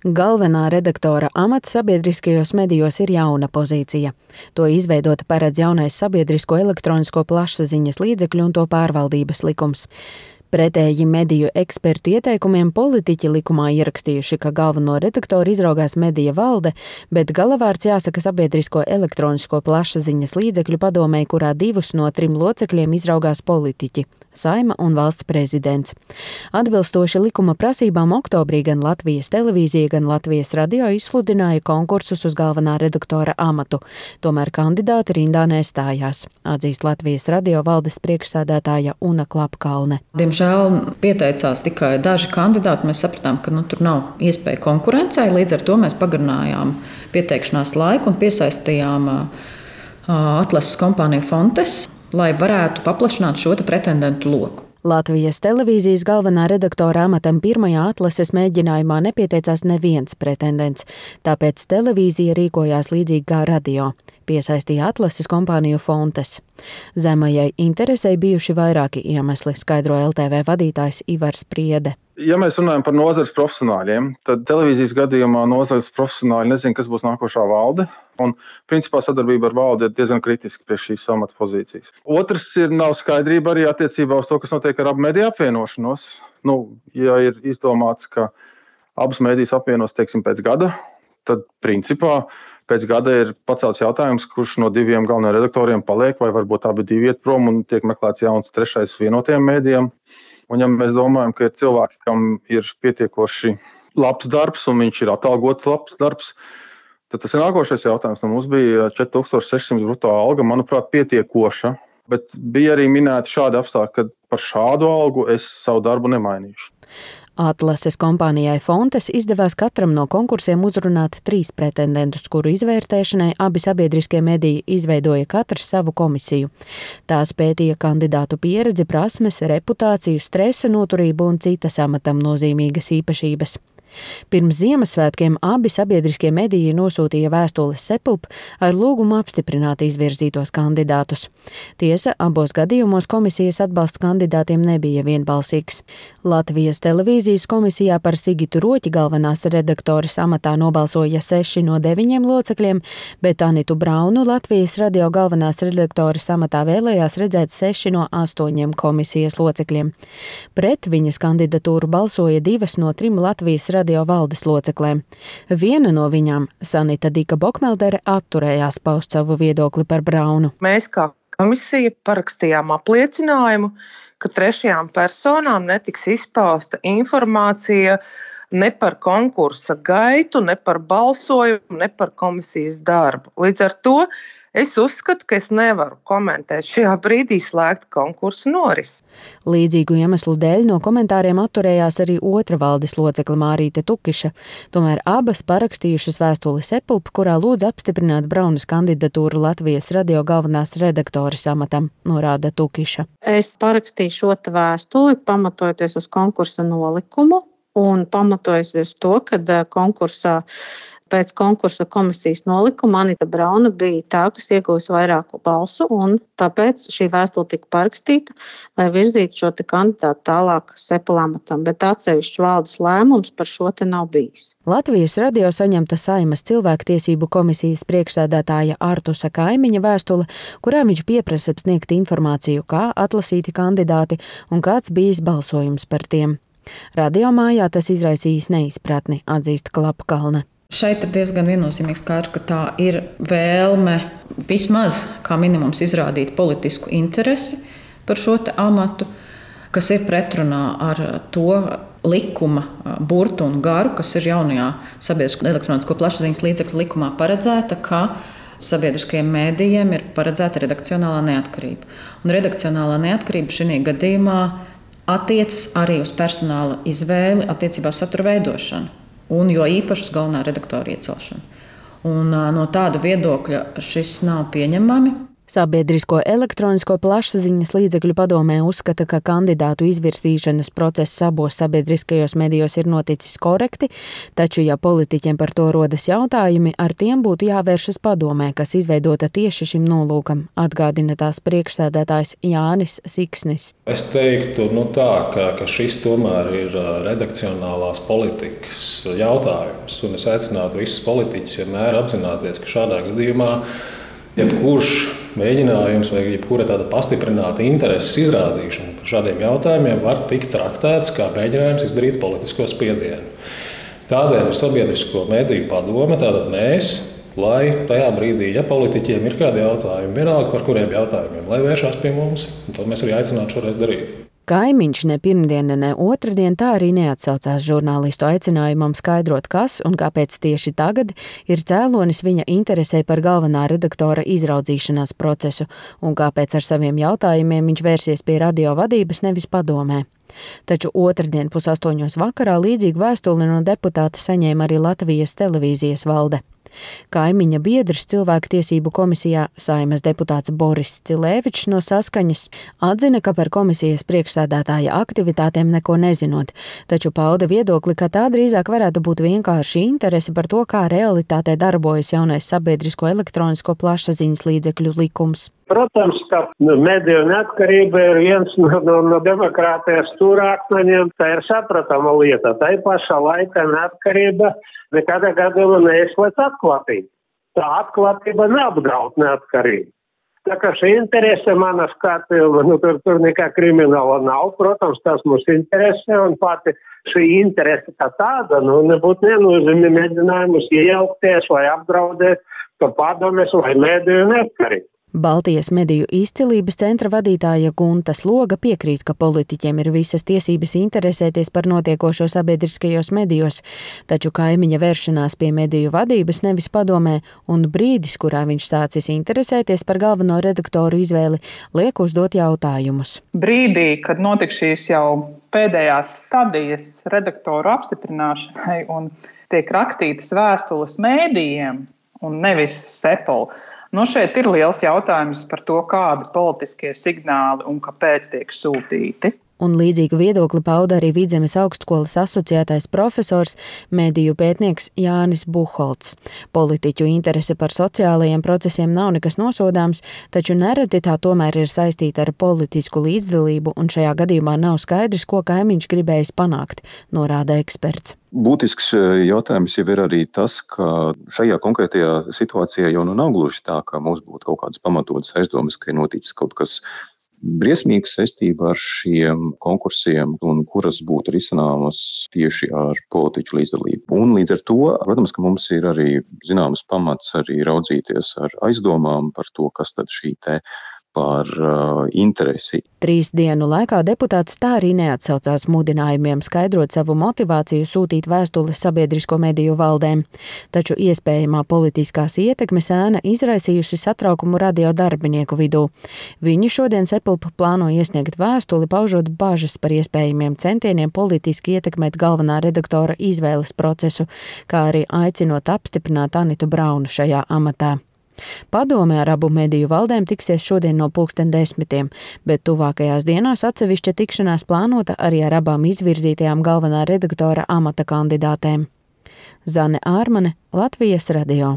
Galvenā redaktora amats sabiedriskajos medijos ir jauna pozīcija. To izveidot paredz jaunais sabiedrisko elektronisko plašsaziņas līdzekļu un to pārvaldības likums. Pretēji mediju ekspertu ieteikumiem politiķi likumā ierakstījuši, ka galveno redaktoru izraugās medija valde, bet galavārds jāsaka sabiedrisko elektronisko plašsaziņas līdzekļu padomei, kurā 2 no 3 locekļiem izraugās politiķi – Saeima un valsts prezidents. Atbilstoši likuma prasībām oktobrī gan Latvijas televīzija, gan Latvijas radio izsludināja konkursus uz galvenā redaktora amatu. Tomēr kandidāti rindā nestājās, atzīst Latvijas radio valdes priekšsēdētāja Una Klapkalne. Diemžēl pieteicās tikai daži kandidāti. Mēs sapratām, ka tur nav iespēja konkurencei. Līdz ar to mēs pagarinājām pieteikšanās laiku un piesaistījām atlases kompāniju Fontes, lai varētu paplašināt šo pretendentu loku. Latvijas televīzijas galvenā redaktora amatam pirmajā atlases mēģinājumā nepieteicās neviens pretendents, tāpēc televīzija rīkojās līdzīgi kā radio. Piesaistīja atlases kompāniju Fontes. Zemajai interesei bijuši vairāki iemesli, skaidro LTV vadītājs Ivars Priede. Ja mēs runājam par nozares profesionāļiem, tad televīzijas gadījumā nozares profesionāļi nezina, kas būs nākošā valde. Un, principā, sadarbība ar valdi ir diezgan kritiska priekš šīs amata pozīcijas. Otrs nav skaidrība arī attiecībā uz to, kas notiek ar abu mediju apvienošanos. Ja ir izdomāts, ka abas medijas apvienos, teiksim, pēc gada, tad, principā, pēc gada ir pacelts jautājums, kurš no 2 galvenajiem redaktoriem paliek, vai varbūt abi 2 iet prom un tiek meklēts jauns 3. vienotajiem mēdījiem. Un ja mēs domājam, ka ir cilvēki, kam ir pietiekoši labs darbs un viņš ir atalgots labs darbs, tad tas ir nākošais jautājums. Mums bija 4600 brutto alga, manuprāt, pietiekoša, bet bija arī minēti šādi apstākļi, ka par šādu algu es savu darbu nemainīšu. Atlases kompānijai Fontes izdevās katram no konkursiem uzrunāt 3 pretendentus, kuru izvērtēšanai abi sabiedriskie mediji izveidoja katrs savu komisiju. Tās pētīja kandidātu pieredzi, prasmes, reputāciju, stresa noturību un citas amatam nozīmīgas īpašības. Pirms Ziemassvētkiem abi sabiedriskie mediji nosūtīja vēstules Sepulp ar lūgumu apstiprināt izvirzītos kandidātus. Tiesa, abos gadījumos komisijas atbalsts kandidātiem nebija vienbalsīgs. Latvijas televīzijas komisijā par Sigitu Roķi galvenās redaktoras amatā nobalsoja 6 no 9 locekļiem, bet Anitu Braunu Latvijas radio galvenās redaktoras amatā vēlējās redzēt 6 no 8 komisijas locekļiem. Pret viņas kandidatūru balsoja 2 no 3 Latvijas radio valdes loceklēm. Viena no viņām, Sanita Dika Bokmeldere, atturējās paust savu viedokli par Braunu. Mēs kā komisija parakstījām apliecinājumu, ka 3. personām netiks izpausta informācija ne par konkursa gaitu, ne par balsojumu, ne par komisijas darbu. Līdz ar to es uzskatu, ka es nevaru komentēt šajā brīdī slēgt konkursu norisi. Līdzīgu iemeslu dēļ no komentāriem atturējās arī otra valdes locekle Mārīte Tukiša. Tomēr abas parakstījušas vēstuli Sepulp, kurā lūdz apstiprināt Braunas kandidatūru Latvijas radio galvenās redaktoras amatam, norāda Tukiša. Es parakstīju šo vēstuli, pamatojoties uz konkursa nolikumu un pamatojoties uz to, ka pēc konkursa komisijas nolikuma Anita Brauna bija tā, kas ieguvusi vairāku balsu, un tāpēc šī vēstule tika parakstīta, lai virzītu šo kandidātu tālāk Sepula amatam, bet atsevišķs valdes lēmums par šo nav bijis. Latvijas radio saņemta Saeimas cilvēktiesību komisijas priekšsēdētāja Artusa Kaimiņa vēstule, kurā viņš pieprasa sniegt informāciju, kā atlasīti kandidāti un kāds bijis balsojums par tiem. Radio mājā tas izraisījis neizpratni, atzīst Klapkalne. Šeit ir diezgan viennozīmīgi skaidrs, ka tā ir vēlme vismaz kā minimums izrādīt politisku interesi par šo amatu, kas ir pretrunā ar to likuma burtu un garu, kas ir jaunajā sabiedrisko elektronisko plašsaziņas līdzekļu likumā paredzēta, ka sabiedriskajiem mēdījiem ir paredzēta redakcionālā neatkarība. Un redakcionālā neatkarība šajā gadījumā attiecas arī uz personāla izvēli attiecībā uz satura veidošanu. Un jo īpaši uz galvenā redaktora iecelšanu. Un no tāda viedokļa šis nav pieņemami. Sabiedrisko elektronisko plašsaziņas līdzekļu padomē uzskata, ka kandidātu izvirsīšanas process abos sabiedriskajos medijos ir noticis korekti, taču, ja politiķiem par to rodas jautājumi, ar tiem būtu jāvēršas padomē, kas izveidota tieši šim nolūkam, atgādina tās priekšsēdētājs Jānis Siksnis. Es teiktu, ka šis tomēr ir redakcionālās politikas jautājums, un es aicinātu visus politiķus vienmēr apzināties, ka šādā gadījumā jebkurš mēģinājums vai jebkura tāda pastiprināta intereses izrādīšana par šādiem jautājumiem var tikt traktēts kā mēģinājums izdarīt politisko spiedienu. Tādēļ ir sabiedrisko mediju padome, tātad mēs, lai tajā brīdī, ja politiķiem ir kādi jautājumi, vienalga par kuriem jautājumiem, lai vēršās pie mums, un to mēs arī aicinātu šoreiz darīt. Kaimiņš ne pirmdiena, ne otrdien tā arī neatsaucās žurnālistu aicinājumam skaidrot, kas un kāpēc tieši tagad ir cēlonis viņa interesē par galvenā redaktora izraudzīšanās procesu un kāpēc ar saviem jautājumiem viņš vērsies pie radio vadības, nevis padomē. Taču otrdien 7:30 vakarā līdzīgu vēstuli no deputāta saņēma arī Latvijas televīzijas valde. Kaimiņa biedrs Cilvēktiesību komisijā Saeimas deputāts Boris Cilēvičs no Saskaņas atzina, ka par komisijas priekšsēdētāja aktivitātēm neko nezinot, taču pauda viedokli, ka tā drīzāk varētu būt vienkārši interese par to, kā realitātē darbojas jaunais sabiedrisko elektronisko plašsaziņas līdzekļu likums. Protams, ka mediju neatkarība ir viens no demokrātijas stūrakmeņiem, tā ir sapratama lieta. Tā pašā laikā neatkarība nekādā gadījumā neizslēdz atklātību. Tā atklātība neapdraud neatkarību. Tā kā šī interese manas skatījuma, tur nekā krimināla nav, protams, tas mūs interesē, un pati šī interese kā tāda, nebūtu nenozīmē mēģinājumus iejaukties vai apdraudēt, ka padomes vai mediju neatkarību. Baltijas mediju izcilības centra vadītāja Gunta Sloga piekrīt, ka politiķiem ir visas tiesības interesēties par notiekošo sabiedriskajos medijos, taču kaimiņa vēršanās pie mediju vadības nevis padomē un brīdis, kurā viņš sācis interesēties par galveno redaktoru izvēli, liek uzdot jautājumus. Brīdī, kad notiks šīs jau pēdējās stadijas redaktoru apstiprināšanai un tiek rakstītas vēstules mēdījiem un nevis Sepol, šeit ir liels jautājums par to, kādi politiskie signāli un kāpēc tiek sūtīti. Un līdzīgu viedokli pauda arī Vidzemes augstskolas asociētais profesors, mediju pētnieks Jānis Buholts. Politiķu interese par sociālajiem procesiem nav nekas nosodāms, taču nereti tā tomēr ir saistīta ar politisku līdzdalību, un šajā gadījumā nav skaidrs, ko kaimiņš gribējis panākt, norāda eksperts. Būtisks jautājums jau ir arī tas, ka šajā konkrētajā situācijā jau nav gluži tā, ka mums būtu kaut kādas pamatotas aizdomas, ka ir noticis kaut kas briesmīgs saistībā ar šiem konkursiem un kuras būtu risināmas tieši ar politiķu līdzdalību. Un līdz ar to, protams, ka mums ir arī zināmas pamats arī raudzīties ar aizdomām par to, kas tad šī te par interesi. 3 dienu laikā deputāts tā arī neatsaucās mudinājumiem skaidrot savu motivāciju sūtīt vēstules sabiedrisko mediju valdēm, taču iespējamā politiskās ietekmes ēna izraisījusi satraukumu radio darbinieku vidū. Viņi šodien Sepulp plāno iesniegt vēstuli, paužot bažas par iespējamiem centieniem politiski ietekmēt galvenā redaktora izvēles procesu, kā arī aicinot apstiprināt Anitu Braunu šajā amatā. Padome ar abu mediju valdēm tiksies šodien no 10:00, bet tuvākajās dienās atsevišķa tikšanās plānota arī ar abām izvirzītajām galvenā redaktora amata kandidātēm. Zane Ārmane, Latvijas radio.